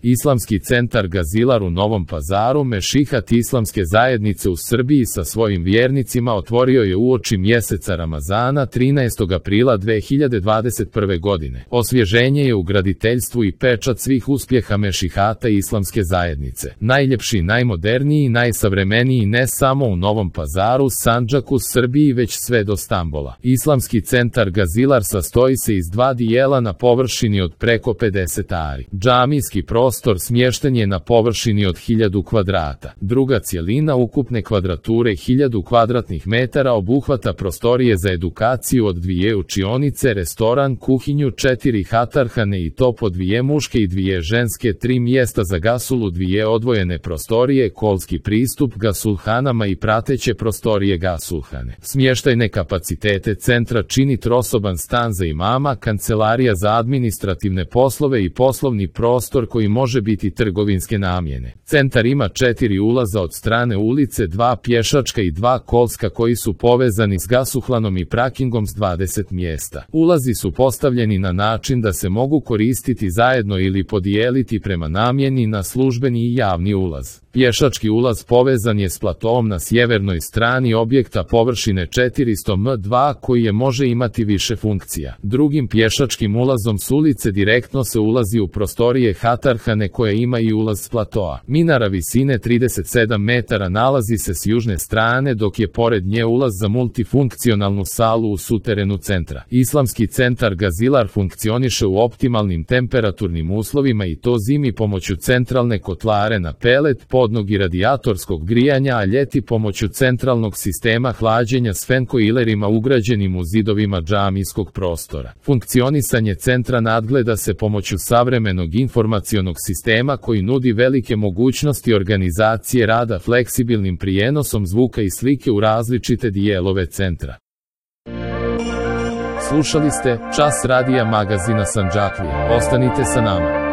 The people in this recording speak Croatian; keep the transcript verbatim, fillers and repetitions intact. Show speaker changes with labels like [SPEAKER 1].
[SPEAKER 1] Islamski centar Gazilar u Novom Pazaru, Mešihat islamske zajednice u Srbiji sa svojim vjernicima otvorio je uoči mjeseca Ramazana trinaestog aprila dve hiljade dvadeset prve godine. Osvježenje je u graditeljstvu i pečat svih uspjeha Mešihata islamske zajednice. Najljepši, najmoderniji i najsavremeniji ne samo u Novom Pazaru, Sandžaku, Srbiji, već sve do Stambola. Islamski centar Gazilar sastoji se iz dva dijela na površini od preko pedeset ari. Džamijski prostor Prostor smješten je na površini od hiljadu kvadrata. Druga cjelina ukupne kvadrature hiljadu kvadratnih metara obuhvata prostorije za edukaciju od dvije učionice, restoran, kuhinju, četiri hatarhane i to po dvije muške i dvije ženske, tri mjesta za gasulu, dvije odvojene prostorije, kolski pristup gasulhanama i prateće prostorije gasulhane. Smještajne kapacitete centra čini trosoban stan za imama, kancelarija za administrativne poslove i poslovni prostor koji može može biti trgovinske namjene. Centar ima četiri ulaza od strane ulice, dva pješačka i dva kolska koji su povezani s gasuhlanom i prakingom s dvadeset mjesta. Ulazi su postavljeni na način da se mogu koristiti zajedno ili podijeliti prema namjeni na službeni i javni ulaz. Pješački ulaz povezan je s platoom na sjevernoj strani objekta površine četiristo metara dva koji je može imati više funkcija. Drugim pješačkim ulazom s ulice direktno se ulazi u prostorije hatarhane koja ima i ulaz s platoa. Minara visine trideset sedam metara nalazi se s južne strane dok je pored nje ulaz za multifunkcionalnu salu u suterenu centra. Islamski centar Gazilar funkcioniše u optimalnim temperaturnim uslovima i to zimi pomoću centralne kotlare na pelet, podnog i radijatorskog grijanja, a ljeti pomoću centralnog sistema hlađenja s fenkoilerima ugrađenim u zidovima džamijskog prostora. Funkcionisanje centra nadgleda se pomoću savremenog informacionog sistema koji nudi velike mogućnosti organizacije rada fleksibilnim prijenosom zvuka i slike u različite dijelove centra. Slušali ste Čas radija magazina Sandžaklija. Ostanite sa nama.